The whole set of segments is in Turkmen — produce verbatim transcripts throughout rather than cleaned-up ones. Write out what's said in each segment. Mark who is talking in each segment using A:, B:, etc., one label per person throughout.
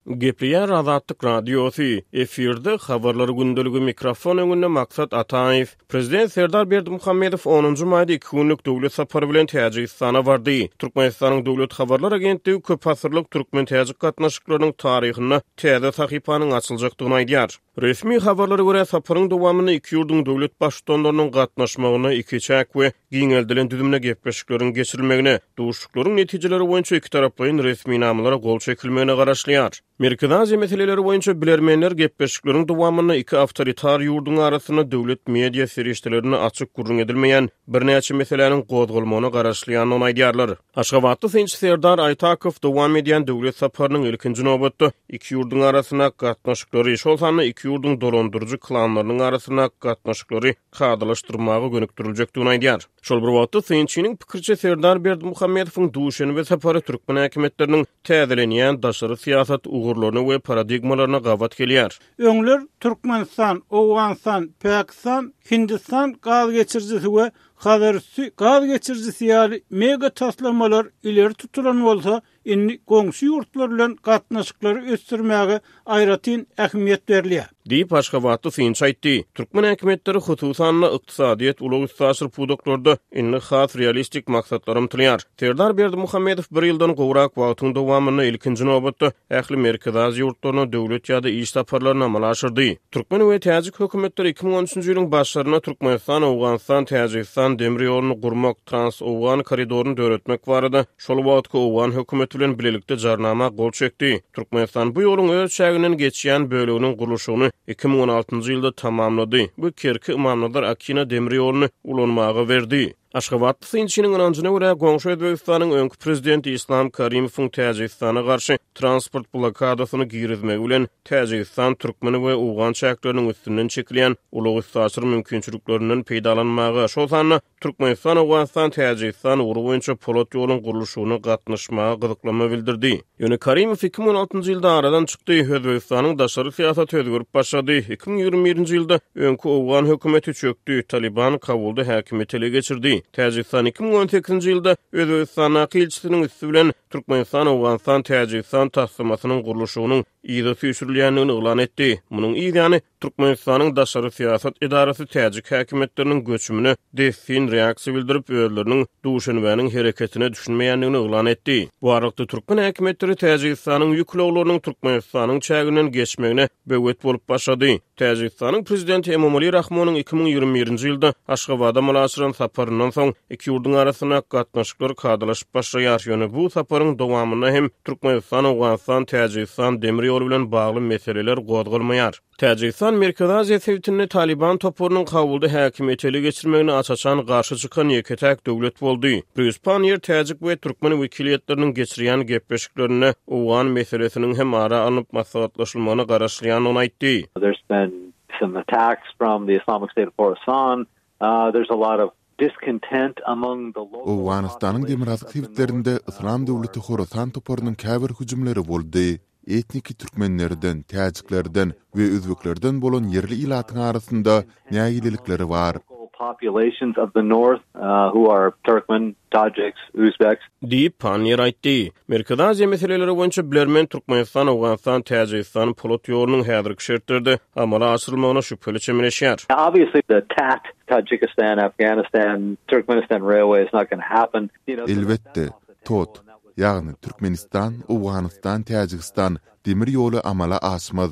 A: Gepleýär Azatlyk Radiosy, efirde Habarlar gündeligi mikrofon öňünde Maksat Ataýew. Prezident Serdar Berdimuhamedow onunjy maýda iki günlük döwlet sapary bilen Täjigistana bardy. Türkmenistanyň Döwlet habarlar agentligi köpasyrlyk türkmen-täjik gatnaşyklarynyň taryhynda täze sahypanyň açyljakdygyny aýdýar. Resmi habarlara görä, saparyň dowamynda iki ýurduň döwlet baştutanlarynyň gatnaşmagynda ikiçäk we giňeldilen düzümde gepleşikleriň geçirilmegine, duşuşyklaryň netijeleri boýunça ikitaraplaýyn resminamalara gol çekilmegine garaşylýar. Merkezi Aziýa meseleleri boýunça bilermenler gepleşikleriň dowamynda iki awtoritar ýurduň arasynda döwlet media serişdelerinde açyk gürrüň edilmeýän birnäçe meseläniň gozgalmagyna garaşylýandygyny aýdýarlar. Aşgabatly synçy Serdar Aýtakow dowam edýän döwlet saparynyň ilkinji nobatda iki ýurduň arasynda gatnaşyklary, şol sanda iki ýurduň dolandyryjy klanlarynyň arasynda gatnaşyklary kadalaşdyrmaga gönükdiriljekdigini aýdýar. Şol bir wagtda synçynyň pikiriçe Serdar Berdimuhamedowyň Duşenbe sapary türkmen häkimiýetleriniň täzelenýän daşary syýasat ugurlaryna we paradigmalaryna gabat gelýär.
B: Öňler Türkmenistan, Owganystan, Pakistan, Hindistan gaz geçirijisi we Hazarüsti gaz geçirijisi ýaly mega taslamalar ileri tutulan bolsa, indi goňşy ýurtlar bilen gatnaşyklary ösdürmäge aýratyn ähmiýet berilýär.
A: Diýip, Aşgabatly synçy aýtdy. Türkmen häkimiýetleri hususan-da ykdysadyýet, ulag-üstaşyr pudaklarda indi has realistik maksatlara ymtylýar. Serdar Berdimuhamedow bir ýyldan gowrak wagtyň dowamynda ilkinji nobatda ähli Merkezi Aziýa ýurtlaryna döwlet ýa-da iş saparlaryny amala aşyrdy. Türkmen we täjik hökümetleri iki müň on üçünji ýylyň başlarynda Türkmenistan, Owganystan, Täjigistan demir ýoluny gurmak, Trans-Owgan koridoryny döretmek barada şol wagtky owgan hökümeti bilen bilelikde jarnama gol çekdi. Türkmenistan bu ýoluň öz çäginden geçýän böleginiň gurluşygyny iki müň on altynjy ýylda tamamlady we Kerki-Ymamnazar-Akina demir ýoluny ulanmaga berdi. Aşgabatly synçynyň ynanjyna görä, goňşy Özbegistanyň öňki prezidenti Islam Karimowyň Täjigistana garşy transport blokadasyny girizmegi bilen Täjigistan türkmen we owgan çäkleriniň üstünden çekilýän ulag-üstaşyr mümkinçiliklerinden peýdalanmaga, şol sanda Türkmenistan, Owganystan, Täjigistan ugry boýunça polat ýoluň gurluşygyna gatnaşmaga gyzyklanma bildirdi. Ýöne Karimow iki müň on altynjy ýylda aradan çykdy, Özbegistanyň daşary syýasaty özgerip başlady. Iki müň ýigrimi birinji ýylda öňki owgan hökümeti çökdi, Taliban Kabulda häkimiýeti ele geçirdi. Täjigistan iki müň on sekizinji ýylda Özbegistandaky ilçisiniň üsti bilen Türkmenistan, Owganystan, Täjigistan taslamasynyň gurluşygynyň yza süýşürilýändigini yglan etdi. Munuň yz ýany Türkmenistanyň daşary syýasat edarasy täjik häkimiýetleriniň göçümine dessin reaksiýa bildirip, özleriniň Duşenbäniň hereketine düşünmeýändigini yglan etdi. Bu aralykda türkmen häkimiýetleri Täjigistanyň ýük ulaglarynyň Türkmenistanyň çäginden geçmegine böwet bolup başlady. Täjigistanyň prezidenti Emomali Rahmonyň iki müň ýigrimi birinji ýylda Aşgabada amala aşyran saparyndan soň iki ýurduň arasynda gatnaşyklar kadalaşyp başlaýar. Ýöne bu saparyň dowamynda hem Türkmenistan, Owganystan, Täjigistan demir ýoly bilen bagly meseleler gozgalmaýar. Täjigistan Merkezi Aziýa sebitinde Taliban toparynyň Kabulda häkimiýeti ele geçirmegine aç-açan garşy çykan ýeke-täk döwlet boldy. Brýus Panniýer täjik we türkmen wekiliýetleriniň geçirýän gepleşiklerinde owgan meselesiniň hem ara alnyp maslahatlaşylmagyna garaşylýandygyny aýtdy.
C: There's been some attacks from the Islamic State of Khorasan. Uh, there's a lot of discontent among the local
D: Owganystanyň demirgazyk sebitlerinde Yslam döwleti Horasan toparynyň käbir hüjümleri boldy. Etniki türkmenlerden, täjiklerden we özbeklerden bolan ýerli ilatyň arasynda nägilelikleri bar.
C: Populations of the north, uh, who are Turkmen, Tajiks, Uzbeks.
A: Diýip, Panniýer aýtdy. Merkezi Aziýa meseleleri boýunça bilermen Türkmenistan, Owganystan, Täjigistan polat ýolunyň häzirki şertlerde amala aşyrylmagyna şübheli çemeleşýär.
C: Obviously the T A T, Tajikistan, Afghanistan, Turkmenistan railway is not gonna happen. You know, so
D: Elbetde,
C: that's off the
D: T O T,
C: table and that was
D: ýagny Türkmenistan, Owganystan, Täjigistan demir ýoly amala aşmaz.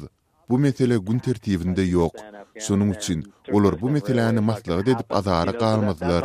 D: Bu mesele gün tertibinde ýok. Şonuň üçin olar bu meseläni maslahat edip azara galmazlar.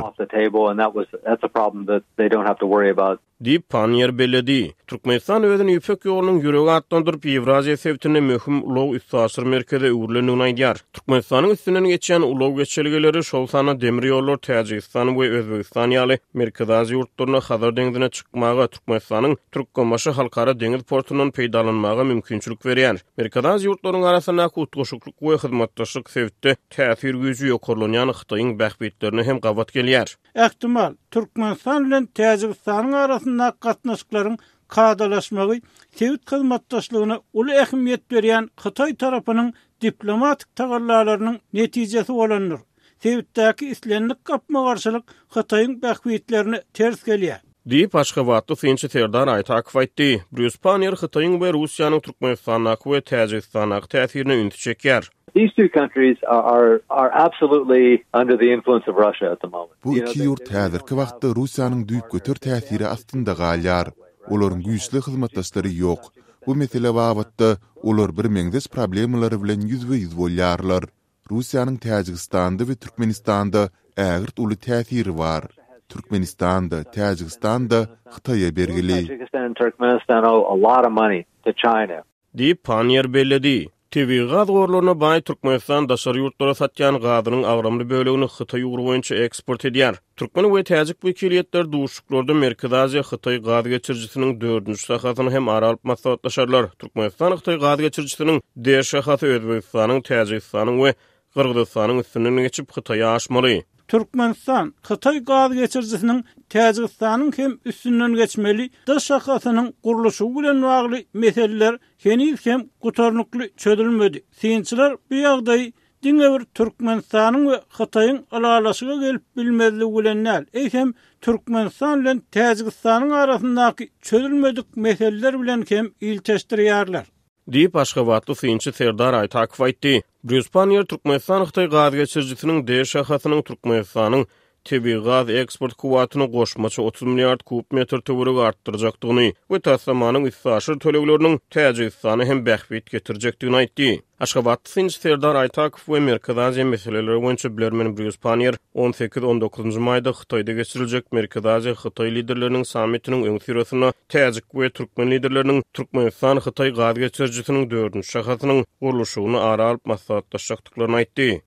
A: Diýip, Panniýer belledi. Türkmenistan özüni Ýüpek ýolunyň ýüregi atlandyryp, Ýewraziýa sebitinde möhüm ulag üstaşyr merkeze öwrülendigini aýdýar. Türkmenistanyň üstünden geçýän ulag geçelgeleri, şol sanda demir ýollar Täjigistan we Özbegistan ýaly Merkezi Aziýa ýurtlaryna Hazar deňzine çykmaga, Türkmenistanyň Türkmenbaşy halkara deňiz portundan peýdalanmaga mümkinçilik berýär. Merkezi Aziýa ýurtlarynyň arasyndaky utgaşyklyk we hyzmatdaşlyk sebitde täsir güýji ýokarlanýan Hytaýyň bähbitlerine hem gabat gelýär.
B: Ähtimal, Türkmenistan bilen Täjigistanyň arasyndaky gatnaşyklaryň kadalaşmagy sebit hyzmatdaşlygyna uly ähmiýet berýän Hytaý tarapynyň diplomatik tagallalarynyň netijesi bolandyr. Sebitdäki islendik gapma-garşylyk Hytaýyň bähbitlerine ters gelýär.
A: Diýip, aşgabatly synçy Serdar Aýtakow aýtdy. Brýus Panniýer Hytaýyň we Russiýanyň Türkmenistandaky we Täjigistandaky täsirine ünsi çekýär.
C: These two countries are are absolutely under the influence of Russia at the moment.
D: Bu iki ýurt häzirki wagtda Russiýanyň düýpgöter täsiri astynda galýar. Olaryň güýçli hyzmatdaşlary ýok. Bu mesele babatda olar birmeňzeş problemalar bilen ýüzbe-ýüz bolýarlar. Russiýanyň Täjigistanda we Türkmenistanda ägirt uly täsiri bar. Türkmenistan-da, Täjigistan-da Hytaýa bergili.
C: Tajikistan and Turkmenistan owe a lot of money to China.
A: Diýip, Panniýer belledi. Tebigy gaz gorlaryna baý Türkmenistan daşary ýurtlara satýan gazynyň agramly bölegini Hytaý ugry boýunça eksport edýär. Türkmen we täjik wekiliýetleri duşuşyklarda Merkezi Aziýa-Hytaý gaz geçirijisiniň dördünji şahasyny hem ara alyp maslahatlaşarlar. Türkmenistan-Hytaý gaz geçirijisiniň D şahasy Özbegistanyň, Täjigistanyň we Gyrgyzystanyň üstünden geçip Hytaýa aşmaly.
B: Türkmenistan Hytaý gaz geçirijisiniň Täjigistanyň hem üstünden geçmeli D şahasynyň gurluşygy bilen bagly meseleler heniz hem gutarnykly çözülmedi. Synçylar bu ýagdaýy diňe bir Türkmenistanyň we Hytaýyň ylalaşyga gelip bilmezligi bilen däl, eýsem Türkmenistan bilen Täjigistanyň arasyndaky çözülmedik meseleler bilen hem ilteşdirýärler.
A: Diýip, aşgabatly synçy Serdar Aýtakow aýtdy. Brýus Panniýer Türkmenistan-Hytaý gaz geçirijisiniň D şahasynyň Türkmenistanyň tebigy gaz eksport kuwwatyny goşmaça otuz milliard kub metr töweregi artdyrjakdygyny we taslamanyň üstaşyr tölegleriniň Täjigistana hem bähbit getirjekdigini aýtdy. Aşgabatly synçy Serdar Aýtakow we Merkezi Aziýa meseleleri boýunça bilermen Brýus Panniýer on sekiz-on dokuzynjy maýda Hytaýda geçiriljek Merkezi Aziýa-Hytaý liderleriniň sammitiniň öňüsyrasynda täjik we türkmen liderleriniň Türkmenistan-Hytaý gaz geçirijisiniň dördünji şahasynyň gurluşygyny ara alyp maslahatlaşjakdyklaryny aýtdy.